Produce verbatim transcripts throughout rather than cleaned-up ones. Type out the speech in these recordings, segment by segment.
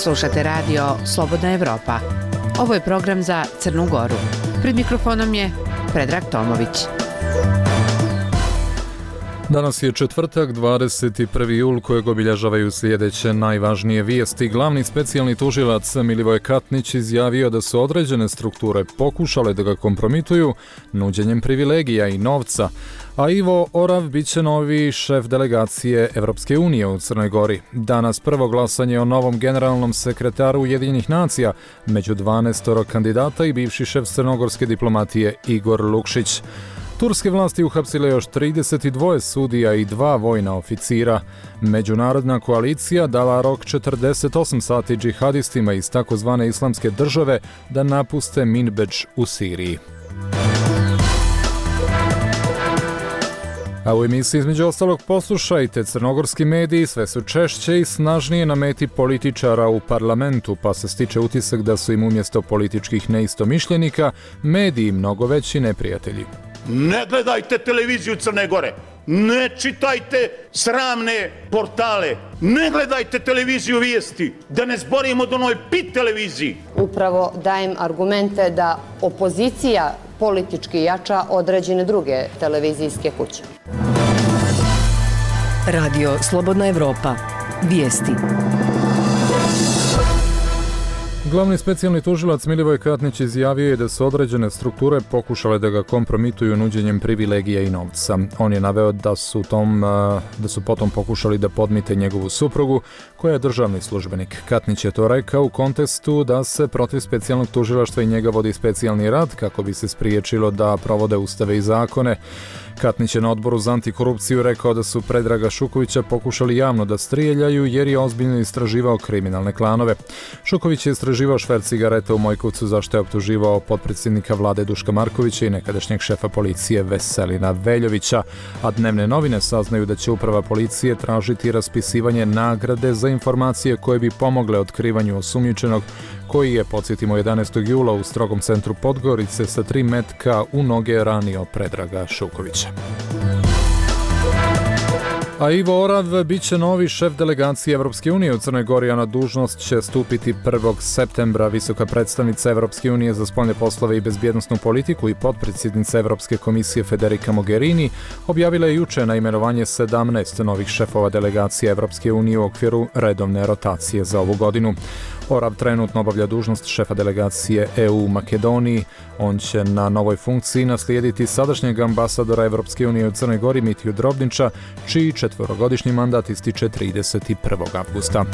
Slušate radio Slobodna Evropa. Ovo je program za Crnu Goru. Pred mikrofonom je Predrag Tomović. Danas je četvrtak, dvadeset prvi jul, kojeg obilježavaju sljedeće najvažnije vijesti. Glavni specijalni tužilac Milivoje Katnić izjavio da su određene strukture pokušale da ga kompromituju nuđenjem privilegija i novca, a Ivo Orav bit će novi šef delegacije Evropske unije u Crnoj Gori. Danas prvo glasanje o novom generalnom sekretaru Ujedinjenih nacija među dvanaestoro kandidata i bivši šef crnogorske diplomatije Igor Lukšić. Turske vlasti uhapsile još trideset dva sudija i dva vojna oficira. Međunarodna koalicija dala rok četrdeset osam sati džihadistima iz takozvane islamske države da napuste Minbedž u Siriji. A u emisiji između ostalog poslušajte, crnogorski mediji sve su češće i snažnije na meti političara u parlamentu, pa se stiče utisak da su im umjesto političkih neistomišljenika mediji mnogo veći neprijatelji. Ne gledajte televiziju Crne Gore, ne čitajte sramne portale, ne gledajte televiziju vijesti, da ne zborimo do onoj pit televiziji. Upravo dajem argumente da opozicija politički jača određene druge televizijske kuće. Radio Slobodna Evropa. Vijesti. Glavni specijalni tužilac Milivoje Katnić izjavio je da su određene strukture pokušale da ga kompromituju nuđenjem privilegija i novca. On je naveo da su, tom, da su potom pokušali da podmite njegovu suprugu, koja je državni službenik. Katnić je to rekao u kontekstu da se protiv specijalnog tužilaštva i njega vodi specijalni rad kako bi se spriječilo da provode ustave i zakone. Katnić je na odboru za antikorupciju rekao da su Predraga Šukovića pokušali javno da strijeljaju jer je ozbiljno istraživao kriminalne klanove. Šuković je istraživao šverc cigareta u Mojkovcu, za što je optuživao potpredsjednika vlade Duška Markovića i nekadašnjeg šefa policije Veselina Veljovića, a dnevne novine saznaju da će uprava policije tražiti raspisivanje nagrade za informacije koje bi pomogle otkrivanju osumnjičenog, koji je, podsjetimo, jedanaestog jula u strogom centru Podgorice sa tri metka u noge ranio Predraga Šukovića. A Ivo Orav bit će novi šef delegacije Evropske unije u Crnoj Gori, a na dužnost će stupiti prvog septembra. Visoka predstavnica Evropske unije za spoljne poslove i bezbjednosnu politiku i potpredsjednica Evropske komisije Federica Mogherini objavila je juče na imenovanje sedamnaest novih šefova delegacije Evropske unije u okviru redovne rotacije za ovu godinu. Orav trenutno obavlja dužnost šefa delegacije E U u Makedoniji. On će na novoj funkciji naslijediti sadašnjeg ambasadora Evropske unije u Crnoj Gori Mitiju Drobnića, čiji četverogodišnji mandat ističe trideset prvog avgusta.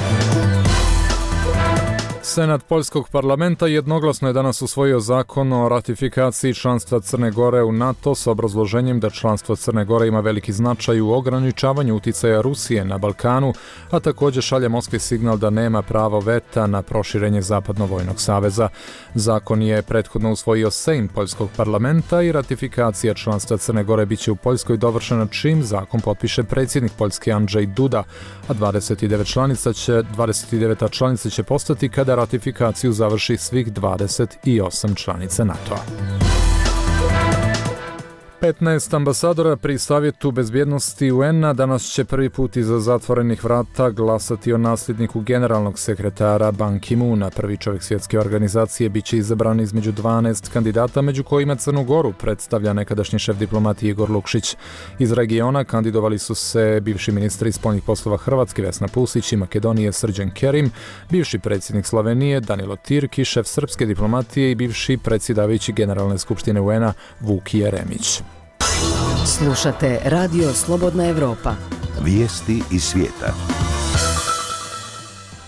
Senat Poljskog parlamenta jednoglasno je danas usvojio zakon o ratifikaciji članstva Crne Gore u NATO s obrazloženjem da članstvo Crne Gore ima veliki značaj u ograničavanju uticaja Rusije na Balkanu, a također šalje Moskvi signal da nema pravo veta na proširenje Zapadno-vojnog saveza. Zakon je prethodno usvojio Sejm Poljskog parlamenta i ratifikacija članstva Crne Gore biće u Poljskoj dovršena čim zakon potpiše predsjednik Poljske Andrzej Duda, a dvadeset devet članica će, dvadeset devet članica će postati kada ratifikaciju završi svih dvadeset osam članica NATO-a. petnaest ambasadora pri Savjetu bezbjednosti U N-a danas će prvi put iza zatvorenih vrata glasati o nasljedniku generalnog sekretara Ban Ki-moona. Prvi čovjek svjetske organizacije bit će izabran između dvanaest kandidata, među kojima Crnu Goru predstavlja nekadašnji šef diplomatije Igor Lukšić. Iz regiona kandidovali su se bivši ministri spoljnih poslova Hrvatske Vesna Pusić i Makedonije Srđan Kerim, bivši predsjednik Slovenije Danilo Tirki, šef srpske diplomatije i bivši predsjedavajući Generalne skupštine U N-a Vuk Jeremić. Slušate Radio Slobodna Evropa. Vijesti iz svijeta.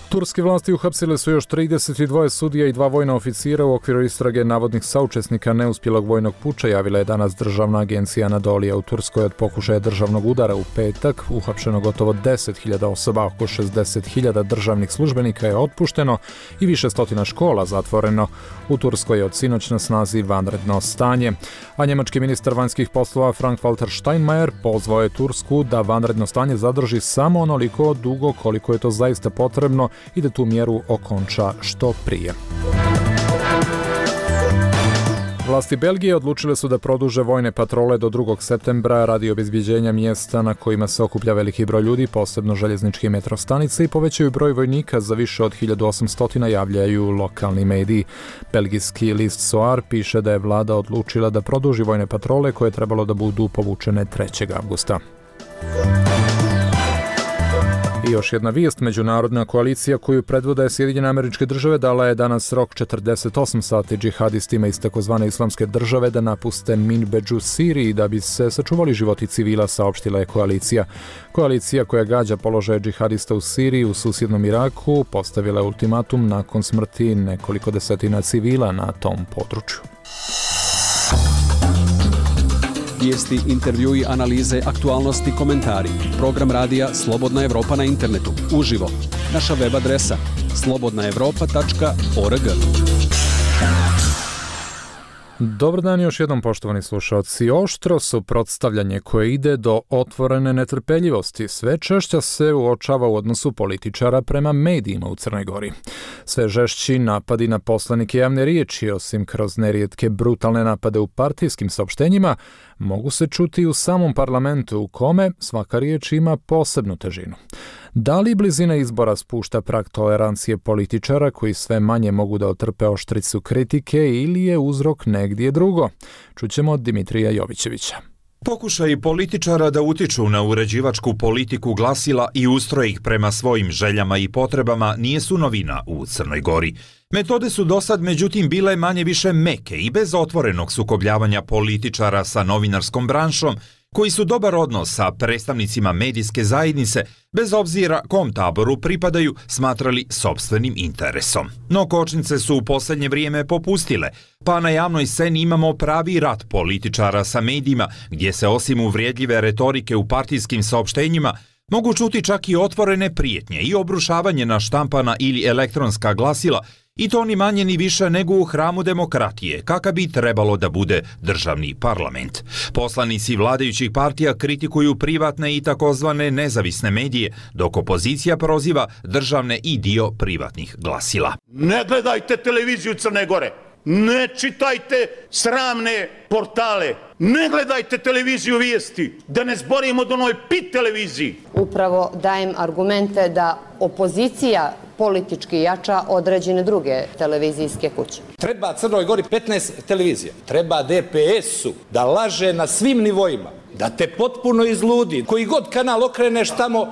Turske vlasti uhapsile su još trideset dva sudija i dva vojna oficira u okviru istrage navodnih saučesnika neuspjelog vojnog puča, javila je danas državna agencija Anadolija. U Turskoj od pokušaja državnog udara u petak uhapšeno gotovo deset hiljada osoba, oko šezdeset hiljada državnih službenika je otpušteno i više stotina škola zatvoreno. U Turskoj je od sinoć na snazi vanredno stanje, a njemački ministar vanjskih poslova Frank-Walter Steinmeier pozvao je Tursku da vanredno stanje zadrži samo onoliko dugo koliko je to zaista potrebno i da tu mjeru okonča što prije. Vlasti Belgije odlučile su da produže vojne patrole do drugog septembra radi obezbjeđenja mjesta na kojima se okuplja veliki broj ljudi, posebno željezničke metro stanice, i povećaju broj vojnika za više od hiljadu osamsto, javljaju lokalni mediji. Belgijski list Soar piše da je vlada odlučila da produži vojne patrole koje je trebalo da budu povučene trećeg avgusta. I još jedna vijest, međunarodna koalicija koju predvode Sjedinjene Američke Države dala je danas rok četrdeset osam sati džihadistima iz takozvane islamske države da napuste Minbedžu u Siriji da bi se sačuvali životi civila, saopštila je koalicija. Koalicija koja gađa položaje džihadista u Siriji u susjednom Iraku postavila je ultimatum nakon smrti nekoliko desetina civila na tom području. Vijesti, intervjui, analize, aktualnosti, komentari. Program radija Slobodna Evropa na internetu. Uživo. Naša web adresa slobodna evropa tačka org. Dobar dan još jednom, poštovani slušalci. Oštro suprotstavljanje koje ide do otvorene netrpeljivosti sve češće se uočava u odnosu političara prema medijima u Crnoj Gori. Sve žešći napadi na poslanike javne riječi, osim kroz nerijetke brutalne napade u partijskim saopštenjima, mogu se čuti u samom parlamentu u kome svaka riječ ima posebnu težinu. Da li blizina izbora spušta prag tolerancije političara koji sve manje mogu da otrpe oštricu kritike ili je uzrok negdje drugo? Čućemo od Dimitrija Jovićevića. Pokušaji političara da utiču na uređivačku politiku glasila i ustroje ih prema svojim željama i potrebama nije su novina u Crnoj Gori. Metode su dosad međutim bile manje više meke i bez otvorenog sukobljavanja političara sa novinarskom branšom, koji su dobar odnos sa predstavnicima medijske zajednice, bez obzira kom taboru pripadaju, smatrali sopstvenim interesom. No kočnice su u posljednje vrijeme popustile, pa na javnoj sceni imamo pravi rat političara sa medijima, gdje se osim uvrijedljive retorike u partijskim saopštenjima mogu čuti čak i otvorene prijetnje i obrušavanje na štampana ili elektronska glasila, i to ni manje ni više nego u hramu demokratije, kakav bi trebalo da bude državni parlament. Poslanici vladajućih partija kritikuju privatne i takozvane nezavisne medije, dok opozicija proziva državne i dio privatnih glasila. Ne gledajte televiziju Crne Gore, ne čitajte sramne portale, ne gledajte televiziju vijesti, da ne zborimo do onoj pit televiziji. Upravo dajem argumente da opozicija politički jača određene druge televizijske kuće. Treba Crnoj Gori petnaest televizija, treba D P S-u da laže na svim nivoima, da te potpuno izludi, koji god kanal okreneš tamo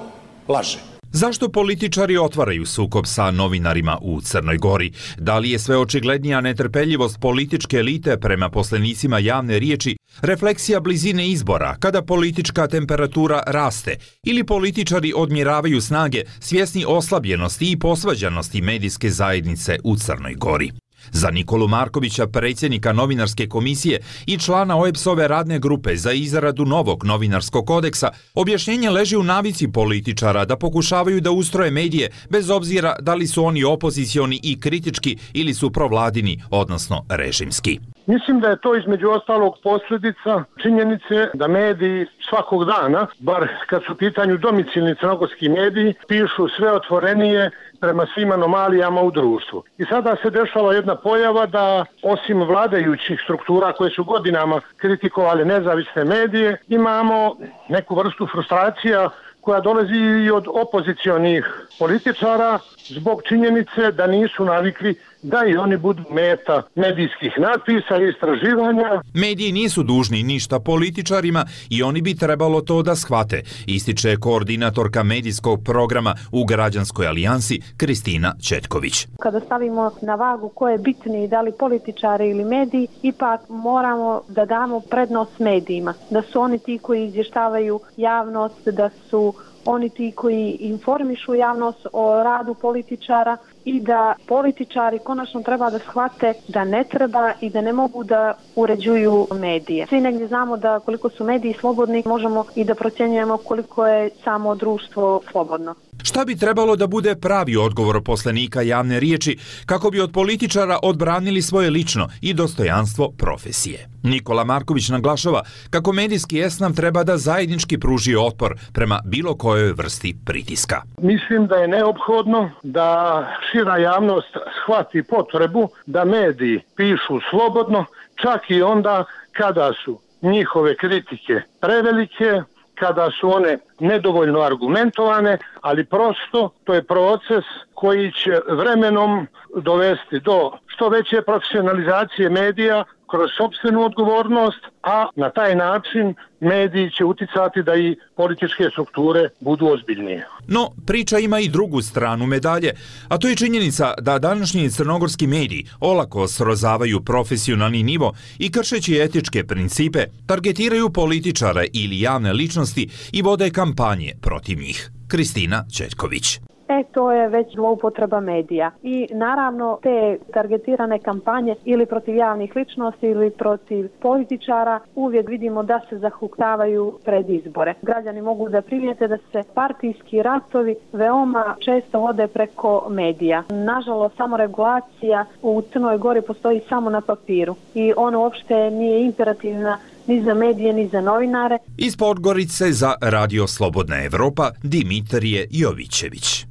laže. Zašto političari otvaraju sukob sa novinarima u Crnoj Gori? Da li je sve očiglednija netrpeljivost političke elite prema poslenicima javne riječi refleksija blizine izbora, kada politička temperatura raste, ili političari odmjeravaju snage svjesni oslabljenosti i posvađanosti medijske zajednice u Crnoj Gori? Za Nikolu Markovića, predsjednika novinarske komisije i člana O E B S-ove radne grupe za izradu novog novinarskog kodeksa, objašnjenje leži u navici političara da pokušavaju da ustroje medije bez obzira da li su oni opozicioni i kritički ili su provladini, odnosno režimski. Mislim da je to između ostalog posljedica činjenice da mediji svakog dana, bar kad su u pitanju domicilni crnogorski mediji, pišu sve otvorenije prema svim anomalijama u društvu. I sada se dešava jedna pojava da osim vladajućih struktura koje su godinama kritikovali nezavisne medije, imamo neku vrstu frustracija koja dolazi i od opozicionih političara zbog činjenice da nisu navikli da i oni budu meta medijskih natpisa i istraživanja. Mediji nisu dužni ništa političarima i oni bi trebalo to da shvate, ističe koordinatorka medijskog programa u Građanskoj alijansi Kristina Četković. Kada stavimo na vagu ko je bitniji, da li političari ili mediji, ipak moramo da damo prednost medijima, da su oni ti koji izvještavaju javnost, da su oni ti koji informišu javnost o radu političara i da političari konačno treba da shvate da ne treba i da ne mogu da uređuju medije. Svi negdje znamo da koliko su mediji slobodni, možemo i da procjenjujemo koliko je samo društvo slobodno. Šta bi trebalo da bude pravi odgovor poslenika javne riječi kako bi od političara odbranili svoje lično i dostojanstvo profesije? Nikola Marković naglašava kako medijski esnaf treba da zajednički pruži otpor prema bilo kojoj vrsti pritiska. Mislim da je neophodno da šira javnost shvati potrebu da mediji pišu slobodno, čak i onda kada su njihove kritike prevelike, kada su one nedovoljno argumentovane, ali prosto to je proces koji će vremenom dovesti do što veće profesionalizacije medija kroz sopstvenu odgovornost, a na taj način mediji će uticati da i političke strukture budu ozbiljnije. No, priča ima i drugu stranu medalje, a to je činjenica da današnji crnogorski mediji olako srozavaju profesionalni nivo i kršeći etičke principe, targetiraju političare ili javne ličnosti i vode kampanje protiv njih. Kristina Čeljković. E, to je već zloupotreba medija. I naravno te targetirane kampanje ili protiv javnih ličnosti ili protiv političara uvijek vidimo da se zahuktavaju pred izbore. Građani mogu da primijete da se partijski ratovi veoma često vode preko medija. Nažalost, samoregulacija u Crnoj Gori postoji samo na papiru i ona uopšte nije imperativna ni za medije, ni za novinare. Iz Podgorice za Radio Slobodna Evropa, Dimitrije Jovićević.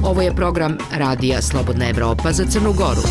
Ovo je program Radija Slobodna Evropa za Crnu Goru.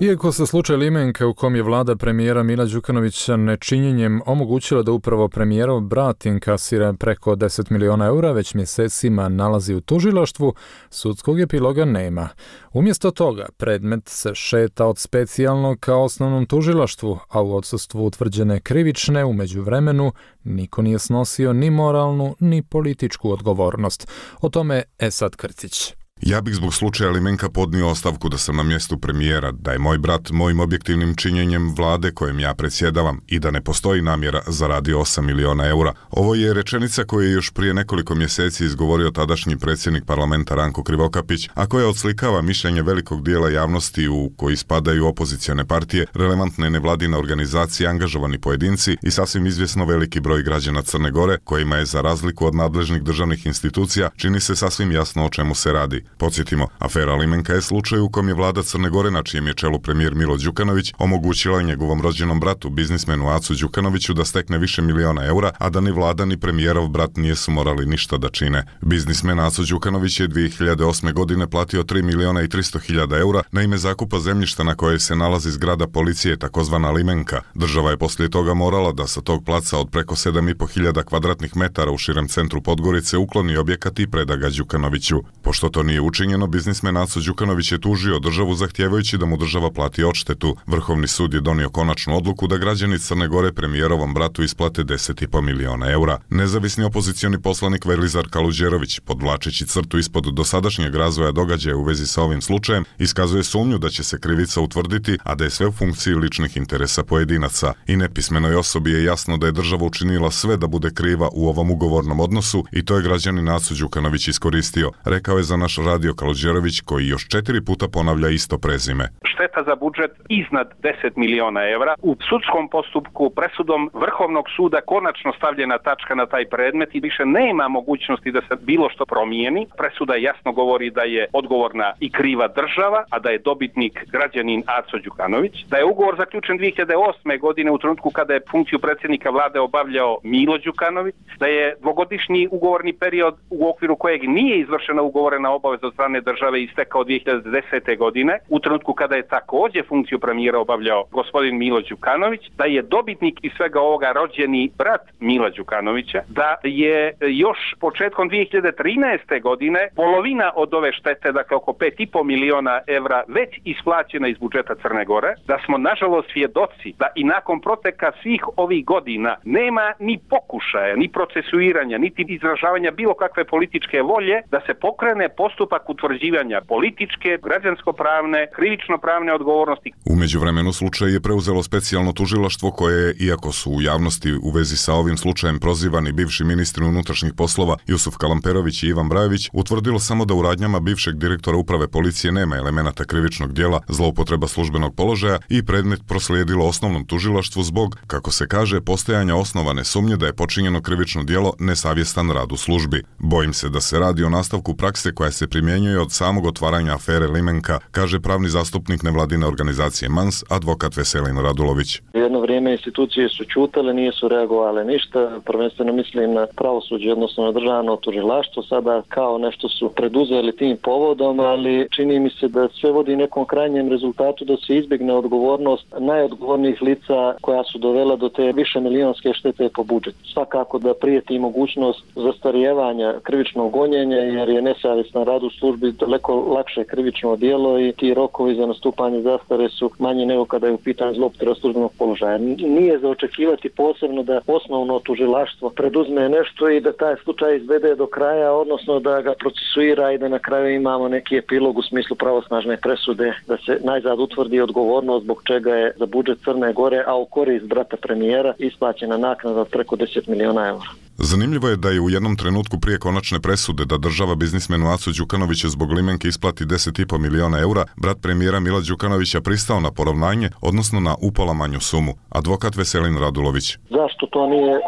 Iako se slučaj Limenka u kom je vlada premijera Mila Đukanovića nečinjenjem omogućila da upravo premijerov brat inkasira preko deset miliona eura, već mjesecima nalazi u tužilaštvu, sudskog epiloga nema. Umjesto toga, predmet se šeta od specijalnog ka osnovnom tužilaštvu, a u odsustvu utvrđene krivične u međuvremenu niko nije snosio ni moralnu ni političku odgovornost. O tome Esad Krcić. Ja bih zbog slučaja Limenka podnio ostavku da sam na mjestu premijera, da je moj brat mojim objektivnim činjenjem vlade kojem ja predsjedavam i da ne postoji namjera zaradio osam miliona eura. Ovo je rečenica koju je još prije nekoliko mjeseci izgovorio tadašnji predsjednik parlamenta Ranko Krivokapić, a koja odslikava mišljenje velikog dijela javnosti u koji spadaju opozicione partije, relevantne nevladine organizacije, angažovani pojedinci i sasvim izvjesno veliki broj građana Crne Gore, kojima je za razliku od nadležnih državnih institucija čini se sasvim jasno o čemu se radi. Podsjetimo, afera Limenka je slučaj u kom je vlada Crne Gore, na čijem je čelu premijer Milo Đukanović, omogućila njegovom rođenom bratu, biznismenu Acu Đukanoviću, da stekne više miliona eura, a da ni vlada ni premijerov brat nisu morali ništa da čine. Biznismen Aco Đukanović je dvije hiljade osme. godine platio tri miliona i tristo hiljada eura na ime zakupa zemljišta na kojoj se nalazi zgrada policije, takozvana Limenka. Država je poslije toga morala da sa tog placa od preko sedam i po hiljada kvadratnih metara u širem centru Podgorice ukloni objekat i preda ga Đukanoviću. Pošto to nije učinjeno, biznismen Aco Đukanović je tužio državu zahtijevajući da mu država plati odštetu. Vrhovni sud je donio konačnu odluku da građani Crne Gore premijerovom bratu isplate deset i po miliona eura. Nezavisni opozicioni poslanik Velizar Kaluđerović, podvlačeći crtu ispod dosadašnjeg razvoja događaja u vezi sa ovim slučajem, iskazuje sumnju da će se krivica utvrditi, a da je sve u funkciji ličnih interesa pojedinaca. I nepismenoj osobi je jasno da je država učinila sve da bude kriva u ovom ugovornom odnosu i to je građanin Aco Đukanović iskoristio, rekao je za naš radio Kaluđerović, koji još četiri puta ponavlja isto prezime. Šteta za budžet iznad deset miliona evra. U sudskom postupku presudom Vrhovnog suda konačno stavljena tačka na taj predmet i više nema mogućnosti da se bilo što promijeni. Presuda jasno govori da je odgovorna i kriva država, a da je dobitnik građanin Aco Đukanović. Da je ugovor zaključen dvije hiljade osme. godine u trenutku kada je funkciju predsjednika vlade obavljao Milo Đukanović. Da je dvogodišnji ugovorni period u okviru kojeg nije izvršena ugovorena obaveza od strane države istekao dvije hiljade desete. godine, u trenutku kada je također funkciju premijera obavljao gospodin Milo Đukanović, da je dobitnik iz svega ovoga rođeni brat Mila Đukanovića, da je još početkom dvije hiljade trinaeste. godine polovina od ove štete, dakle oko pet i po miliona evra, već isplaćena iz budžeta Crne Gore, da smo nažalost svjedoci da i nakon proteka svih ovih godina nema ni pokušaja, ni procesuiranja, niti izražavanja bilo kakve političke volje da se pokrene postupak utvrđivanja političke, građansko-pravne, krivično-pravne odgovornosti. U međuvremenu slučaj je preuzelo specijalno tužilaštvo koje, iako su u javnosti u vezi sa ovim slučajem prozivani bivši ministri unutrašnjih poslova Jusuf Kalamperović i Ivan Brajović, utvrdilo samo da u radnjama bivšeg direktora uprave policije nema elemenata krivičnog djela, zloupotreba službenog položaja i predmet proslijedilo osnovnom tužilaštvu zbog, kako se kaže, postojanja osnovane sumnje da je počinjeno krivično djelo nesavjestan rad u službi. Bojim se da se radi o nastavku prakse koja se primjenjuje od samog otvaranja afere Limenka, kaže pravni zastupnik nevladine organizacije M A N S, advokat Veselin Radulović. Jedno vrijeme institucije su ćutale, nisu reagovale ništa, prvenstveno mislim na pravosuđe, odnosno na državno tužilaštvo, sada kao nešto su preduzeli tim povodom, ali čini mi se da sve vodi nekom krajnjem rezultatu da se izbjegne odgovornost najodgovornijih lica koja su dovela do te više milionske štete po budžetu. Svakako da prijeti mogućnost zastarijevanja krivičnog gonjenja, jer je nesavjestan rad u službi daleko lakše krivično djelo i ti rokovi za nastupanje zastare su manji nego kada je u pitanju zloupotreba službenog položaja. Nije za očekivati posebno da osnovno tužilaštvo preduzme nešto i da taj slučaj izvede do kraja, odnosno da ga procesuira i da na kraju imamo neki epilog u smislu pravosnažne presude, da se najzad utvrdi odgovornost zbog čega je za budžet Crne Gore, a u korist brata premijera, isplaćena naknada od preko deset miliona eura. Zanimljivo je da je u jednom trenutku prije konačne presude da država biznismenu Acu Đukanoviću zbog Limenke isplati deset i po miliona eura, brat premijera Mila Đukanovića pristao na poravnanje, odnosno na upola manju sumu. Advokat Veselin Radulović. Zašto to nije uh,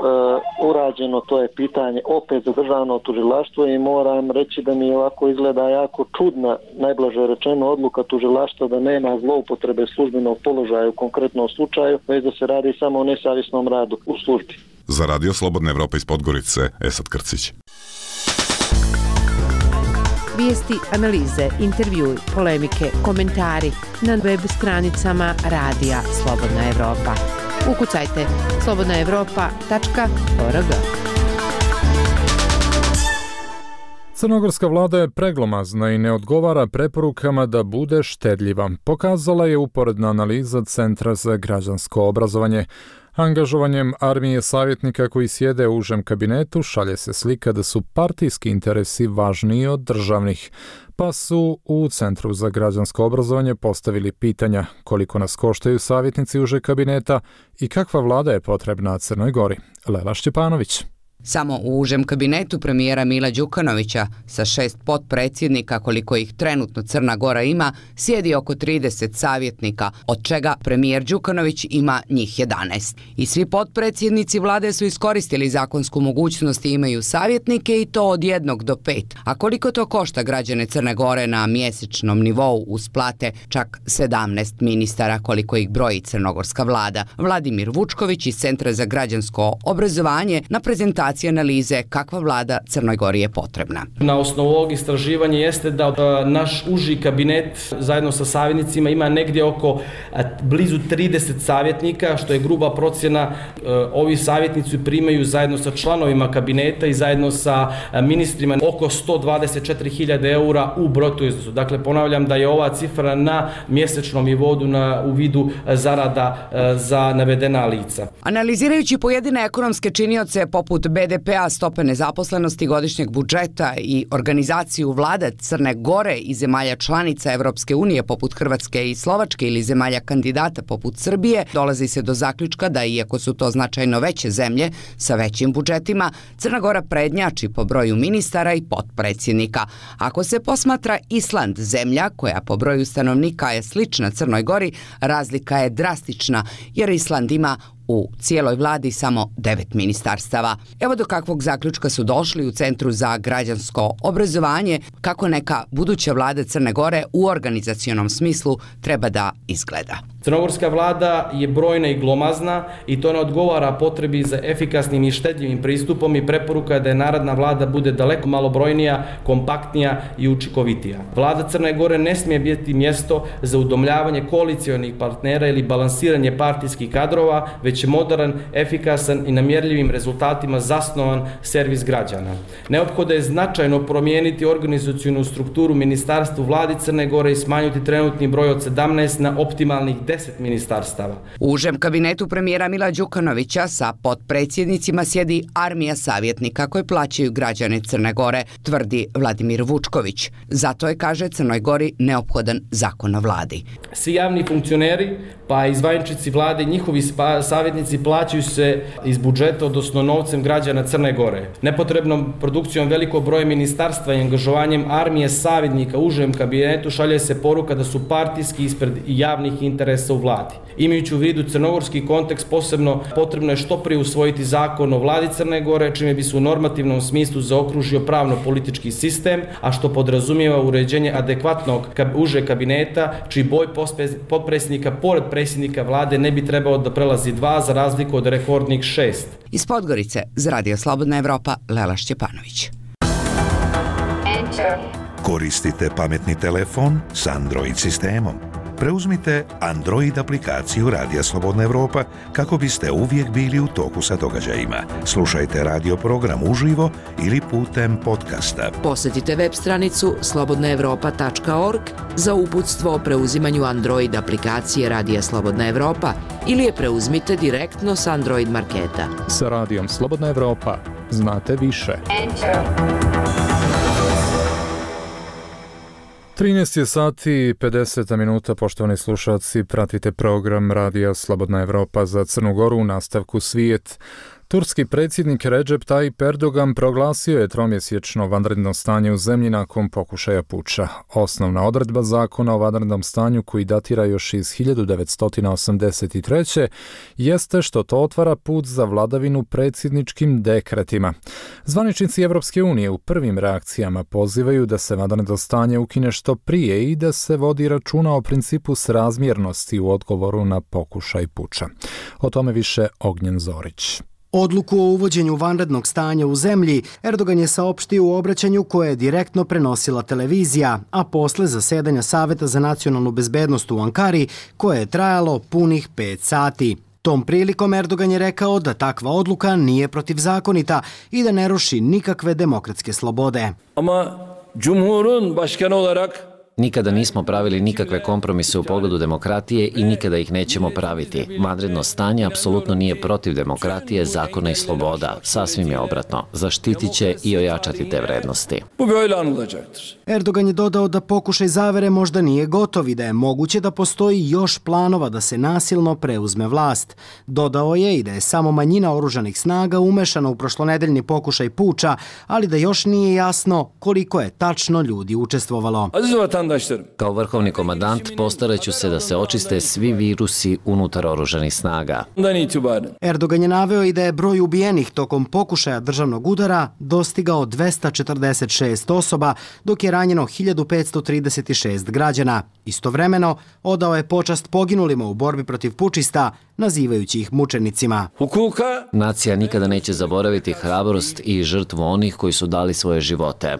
urađeno, to je pitanje opet za državno tužilaštvo i moram reći da mi ovako izgleda jako čudna, najblaže rečeno, odluka tužilaštva da nema zloupotrebe službenog položaja u konkretnom slučaju, već da se radi samo o nesavjesnom radu u službi. Za Radio Slobodna Evropa iz Podgorice, Esad Krcić. Vijesti, analize, intervjui, polemike, komentari na web stranicama Radija Slobodna Evropa. Ukucajte slobodna evropa tačka org. Crnogorska vlada je preglomazna i ne odgovara preporukama da bude štedljiva. Pokazala je uporedna analiza Centra za građansko obrazovanje. Angažovanjem armije savjetnika koji sjede u užem kabinetu šalje se slika da su partijski interesi važniji od državnih, pa su u Centru za građansko obrazovanje postavili pitanja koliko nas koštaju savjetnici užeg kabineta i kakva vlada je potrebna Crnoj Gori. Lela Šćepanović. Samo u užem kabinetu premijera Mila Đukanovića sa šest potpredsjednika, koliko ih trenutno Crna Gora ima, sjedi oko trideset savjetnika, od čega premijer Đukanović ima njih jedanaest. I svi potpredsjednici vlade su iskoristili zakonsku mogućnost i imaju savjetnike i to od jednog do pet. A koliko to košta građane Crne Gore na mjesečnom nivou uz plate čak sedamnaest ministara, koliko ih broji crnogorska vlada. Vladimir Vučković iz Centra za građansko obrazovanje na prezentaciji analize kakva vlada Crnoj Gori je potrebna. Na osnovu ovog istraživanja jeste da naš uži kabinet zajedno sa savjetnicima ima negdje oko blizu trideset savjetnika, što je gruba procjena. Ovi savjetnici primaju zajedno sa članovima kabineta i zajedno sa ministrima oko sto dvadeset četiri hiljade eura u bruto iznosu. Dakle, ponavljam da je ova cifra na mjesečnom nivou na, u vidu zarada za navedena lica. Analizirajući pojedine ekonomske činioce poput B D P a, stope nezaposlenosti, godišnjeg budžeta i organizaciju vlada Crne Gore i zemalja članica Evropske unije poput Hrvatske i Slovačke ili zemalja kandidata poput Srbije, dolazi se do zaključka da iako su to značajno veće zemlje sa većim budžetima, Crna Gora prednjači po broju ministara i potpredsjednika. Ako se posmatra Island, zemlja koja po broju stanovnika je slična Crnoj Gori, razlika je drastična jer Island ima u cijeloj vladi samo devet ministarstava. Evo do kakvog zaključka su došli u Centru za građansko obrazovanje, kako neka buduća vlada Crne Gore u organizacionom smislu treba da izgleda. Crnogorska vlada je brojna i glomazna i to ne odgovara potrebi za efikasnim i štedljivim pristupom i preporuka da je narodna vlada bude daleko malobrojnija, kompaktnija i učinkovitija. Vlada Crne Gore ne smije biti mjesto za udomljavanje koalicionih partnera ili balansiranje partijskih kadrova, već je moderan, efikasan i na mjerljivim rezultatima zasnovan servis građana. Neophodno je značajno promijeniti organizacionu strukturu ministarstva vladi Crne Gore i smanjiti trenutni broj od sedamnaest na optimalnih deset ministarstava. U užem kabinetu premijera Mila Đukanovića sa potpredsjednicima sjedi armija savjetnika koje plaćaju građane Crne Gore, tvrdi Vladimir Vučković. Zato je, kaže, Crnoj Gori neophodan zakon o vladi. Svi javni funkcioneri, pa i zvaničnici vlade i njihovi savjetnici savjetnici plaćaju se iz budžeta, odnosno novcem građana Crne Gore. Nepotrebnom produkcijom velikog broja ministarstva i angažovanjem armije savjetnika u užem kabinetu šalje se poruka da su partijski ispred javnih interesa u vladi. Imajući u vidu crnogorski kontekst, posebno potrebno je što prije usvojiti zakon o vladi Crne Gore, čime bi se u normativnom smislu zaokružio pravno-politički sistem, a što podrazumijeva uređenje adekvatnog uže kabineta, čiji boj potpredsjednika pored predsjednika vlade ne bi trebao da prelazi dva za razliku od rekordnih šest. Iz Podgorice za Radio Slobodna Evropa, Lela Šćepanović. Koristite pametni telefon s Android sistemom. Preuzmite Android aplikaciju Radija Slobodna Evropa kako biste uvijek bili u toku sa događajima. Slušajte radio program uživo ili putem podcasta. Posjetite web stranicu slobodna evropa tačka org za uputstvo o preuzimanju Android aplikacije Radija Slobodna Evropa ili je preuzmite direktno s Android marketa. Sa Radijom Slobodna Evropa znate više. trinaest je sati i pedeset minuta, poštovani slušalci, pratite program Radija Slobodna Evropa za Crnu Goru u nastavku Svijet. Turski predsjednik Recep Tayyip Erdogan proglasio je tromjesečno vanredno stanje u zemlji nakon pokušaja puča. Osnovna odredba zakona o vanrednom stanju, koji datira još iz hiljadu devetsto osamdeset treće. jeste što to otvara put za vladavinu predsjedničkim dekretima. Zvaničnici Evropske unije u prvim reakcijama pozivaju da se vanredno stanje ukine što prije i da se vodi računa o principu srazmjernosti u odgovoru na pokušaj puča. O tome više Ognjen Zorić. Odluku o uvođenju vanrednog stanja u zemlji Erdogan je saopštio u obraćanju koje je direktno prenosila televizija, a posle zasedanja Saveta za nacionalnu bezbednost u Ankari, koje je trajalo punih pet sati. Tom prilikom Erdogan je rekao da takva odluka nije protivzakonita i da ne ruši nikakve demokratske slobode. Ama Cumhur'un başkanı olarak Nikada nismo pravili nikakve kompromise u pogledu demokratije i nikada ih nećemo praviti. Vanredno stanje apsolutno nije protiv demokratije, zakona i sloboda. Sasvim je obratno. Zaštitit će i ojačati te vrednosti. Bu böyle anılacaktır. Erdogan je dodao da pokušaj zavere možda nije gotov i da je moguće da postoji još planova da se nasilno preuzme vlast. Dodao je i da je samo manjina oružanih snaga umešana u prošlonedeljni pokušaj puča, ali da još nije jasno koliko je tačno ljudi učestvovalo. Kao vrhovni komandant postarat ću se da se očiste svi virusi unutar oružanih snaga. Erdogan je naveo i da je broj ubijenih tokom pokušaja državnog udara dostigao dvesta četrdeset šest osoba, dok je ranjeno hiljadu petsto trideset šest građana. Istovremeno, odao je počast poginulima u borbi protiv pučista, nazivajući ih mučenicima. Nacija nikada neće zaboraviti hrabrost i žrtvu onih koji su dali svoje živote.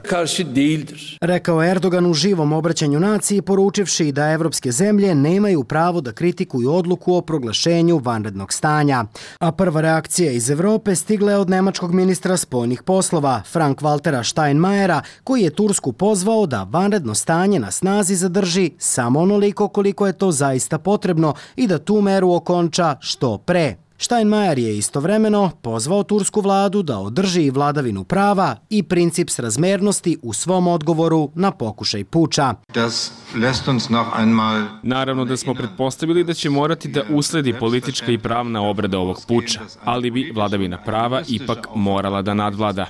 Rekao je Erdogan u živom obraćanju naciji, poručivši da evropske zemlje nemaju pravo da kritikuju odluku o proglašenju vanrednog stanja. A prva reakcija iz Evrope stigla je od nemačkog ministra spoljnih poslova, Frank-Waltera Steinmeiera, koji je Tursku pozvao da vanredno stanje na snazi zadrži samo onoliko koliko je to zaista potrebno i da tu meru okonča što pre. Steinmeier je istovremeno pozvao tursku vladu da održi vladavinu prava i princip srazmernosti u svom odgovoru na pokušaj puča. Naravno da smo pretpostavili da će morati da usledi politička i pravna obrada ovog puča, ali bi vladavina prava ipak morala da nadvlada.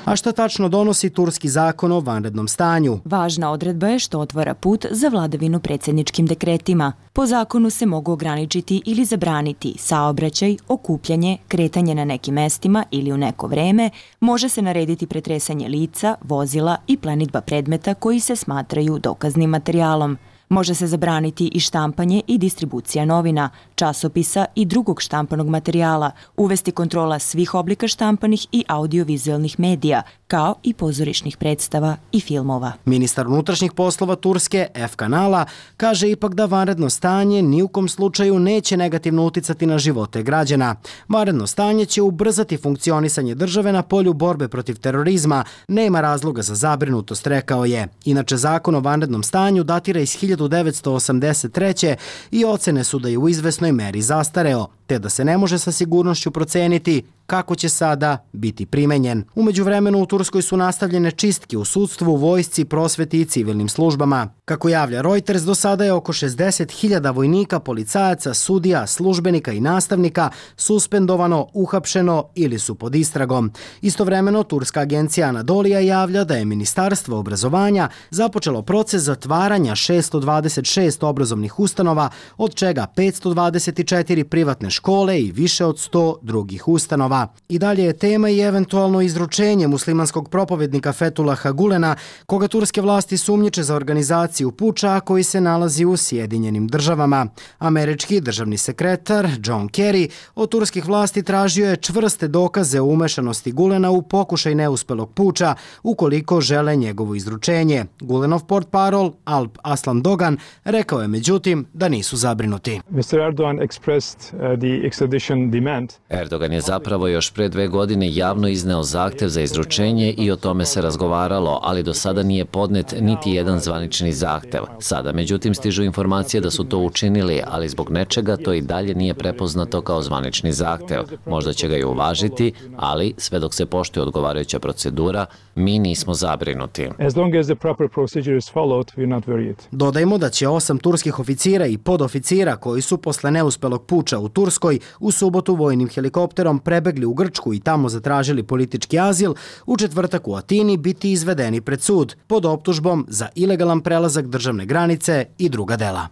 A šta tačno donosi turski zakon o vanrednom stanju? Važna odredba je što otvara put za vladavinu predsjedničkim dekretima. Po zakonu se mogu ograničiti ili zabraniti saobraćaj, okupljanje, kretanje na nekim mestima ili u neko vreme, može se narediti pretresanje lica, vozila i plenidba predmeta koji se smatraju dokaznim materijalom. Može se zabraniti i štampanje i distribucija novina, časopisa i drugog štampanog materijala, uvesti kontrola svih oblika štampanih i audiovizualnih medija, kao i pozorišnih predstava i filmova. Ministar unutrašnjih poslova Turske, F. Kanala, kaže ipak da vanredno stanje ni u kom slučaju neće negativno uticati na živote građana. Vanredno stanje će ubrzati funkcionisanje države na polju borbe protiv terorizma, nema razloga za zabrinutost, rekao je. Inače, zakon o vanrednom stanju datira iz hiljadu devetsto osamdeset treće. i ocene su da je u izvesnoj meri zastareo. te da se ne može sa sigurnošću proceniti kako će sada biti primenjen. U međuvremenu u Turskoj su nastavljene čistke u sudstvu, vojsci, prosveti i civilnim službama. Kako javlja Reuters, do sada je oko šezdeset hiljada vojnika, policajaca, sudija, službenika i nastavnika suspendovano, uhapšeno ili su pod istragom. Istovremeno, turska agencija Anadolija javlja da je Ministarstvo obrazovanja započelo proces zatvaranja šesto dvadeset šest obrazovnih ustanova, od čega petsto dvadeset četiri privatne škole i više od sto drugih ustanova. I dalje je tema i eventualno izručenje muslimanskog propovednika Fetulaha Gulena, koga turske vlasti sumnjiče za organizaciju puča koji se nalazi u Sjedinjenim državama. Američki državni sekretar John Kerry od turskih vlasti tražio je čvrste dokaze o umešanosti Gulena u pokušaj neuspelog puča ukoliko žele njegovo izručenje. Gulenov portparol Alp Aslan Dogan rekao je međutim da nisu zabrinuti. mister Erdogan expressed uh, the extradition demand. Erdogan je zapravo još pre dve godine javno izneo zahtev za izručenje i o tome se razgovaralo, ali do sada nije podnet niti jedan zvanični zahtev. Sada, međutim, stižu informacije da su to učinili, ali zbog nečega to i dalje nije prepoznato kao zvanični zahtev. Možda će ga i uvažiti, ali sve dok se poštuje odgovarajuća procedura, mi nismo zabrinuti. As long as the proper procedure is followed, we're not worried. Dodajmo da će osam turskih oficira i podoficira koji su posle neuspelog puča u Turskoj u subotu vojnim helikopterom prebegli u Grčku i tamo zatražili politički azil, u četvrtak u Atini biti izvedeni pred sud pod optužbom za ilegalan prelazak državne granice i druga dela.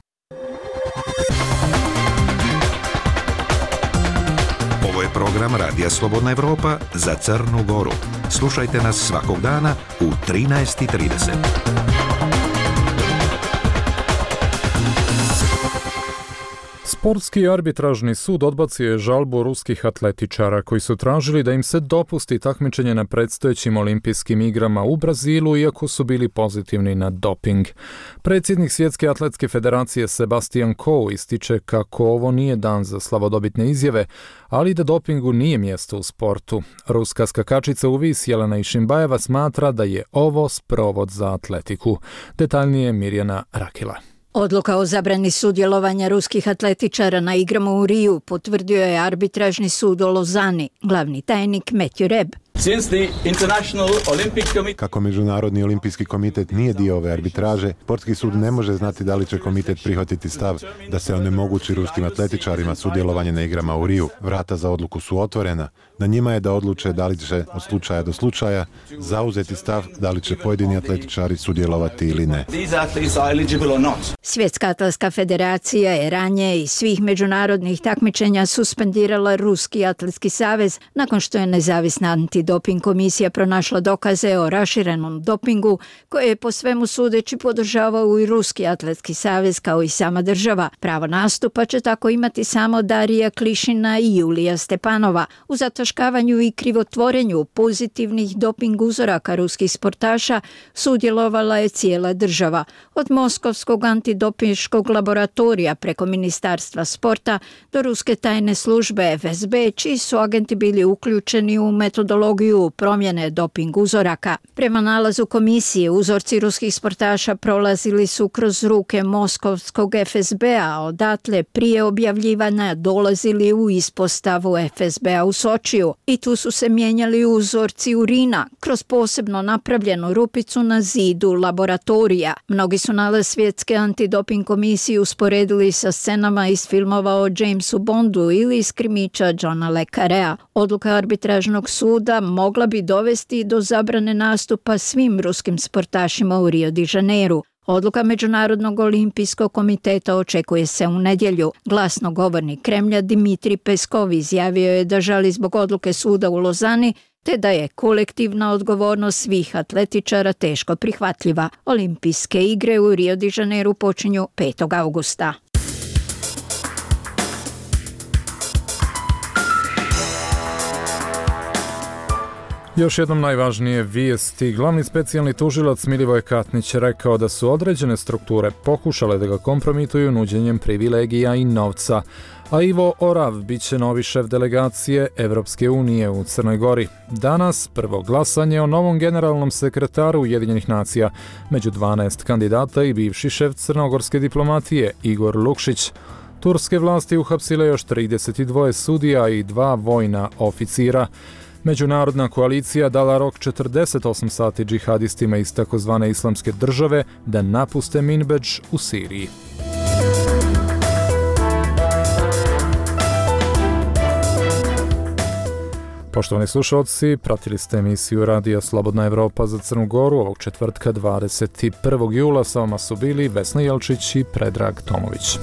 Ovo je program Radija Slobodna Evropa za Crnu Goru. Slušajte nas svakog dana u trinaest i trideset. Sportski arbitražni sud odbacio je žalbu ruskih atletičara koji su tražili da im se dopusti takmičenje na predstojećim olimpijskim igrama u Brazilu iako su bili pozitivni na doping. Predsjednik Svjetske atletske federacije Sebastian Coe ističe kako ovo nije dan za slavodobitne izjave, ali da dopingu nije mjesto u sportu. Ruska skakačica u vis Jelena Išinbajeva smatra da je ovo sprovod za atletiku. Detaljnije Mirjana Rakila. Odluka o zabrani sudjelovanja ruskih atletičara na igrama u Riju potvrdio je arbitražni sud u Lozani, glavni tajnik Matthew Reb. Kako Međunarodni olimpijski komitet nije dio ove arbitraže, sportski sud ne može znati da li će komitet prihvatiti stav da se onemogući ruskim atletičarima sudjelovanje na igrama u Riju. Vrata za odluku su otvorena. Na njima je da odluče da li će od slučaja do slučaja zauzeti stav da li će pojedini atletičari sudjelovati ili ne. Svjetska atletska federacija je ranije iz svih međunarodnih takmičenja suspendirala Ruski atletski savez nakon što je nezavisna antidoping komisija pronašla dokaze o raširenom dopingu koje je po svemu sudeći podržavao i Ruski atletski savez kao i sama država. Pravo nastupa će tako imati samo Darija Klišina i Julija Stepanova. U zataškavanju i krivotvorenju pozitivnih doping uzoraka ruskih sportaša sudjelovala je cijela država. Od Moskovskog antidopinškog laboratorija preko Ministarstva sporta do Ruske tajne službe F S B, čiji su agenti bili uključeni u metodologiju promjene doping uzoraka. Prema nalazu komisije, uzorci ruskih sportaša prolazili su kroz ruke Moskovskog F S B-a, odatle prije objavljivanja dolazili u ispostavu F S B-a u Sočiju i tu su se mijenjali uzorci urina kroz posebno napravljenu rupicu na zidu laboratorija. Mnogi su nalaz Svjetske antidoping komisije usporedili sa scenama iz filmova o Jamesu Bondu ili iz krimića Johna le Carrea. Odluka arbitražnog suda mogla bi dovesti do zabrane nastupa svim ruskim sportašima u Rio de Janeiru. Odluka Međunarodnog olimpijskog komiteta očekuje se u nedjelju. Glasnogovornik Kremlja Dimitrij Peskov izjavio je da žali zbog odluke suda u Lozani te da je kolektivna odgovornost svih atletičara teško prihvatljiva. Olimpijske igre u Rio de Janeiru počinju petog augusta. Još jednom najvažnije vijesti. Glavni specijalni tužilac Milivoj Katnić rekao da su određene strukture pokušale da ga kompromituju nuđenjem privilegija i novca, a Ivo Orav bit će novi šef delegacije Evropske unije u Crnoj Gori. Danas prvo glasanje o novom generalnom sekretaru Ujedinjenih nacija, među dvanaest kandidata i bivši šef crnogorske diplomatije Igor Lukšić. Turske vlasti uhapsile još trideset dva sudija i dva vojna oficira. Međunarodna koalicija dala rok četrdeset osam sati džihadistima iz takozvane islamske države da napuste Minbedž u Siriji. Poštovani slušalci, pratili ste emisiju Radija Slobodna Evropa za Crnu Goru ovog četvrtka dvadeset prvog jula. Sa vama su bili Vesna Jelčić i Predrag Tomović.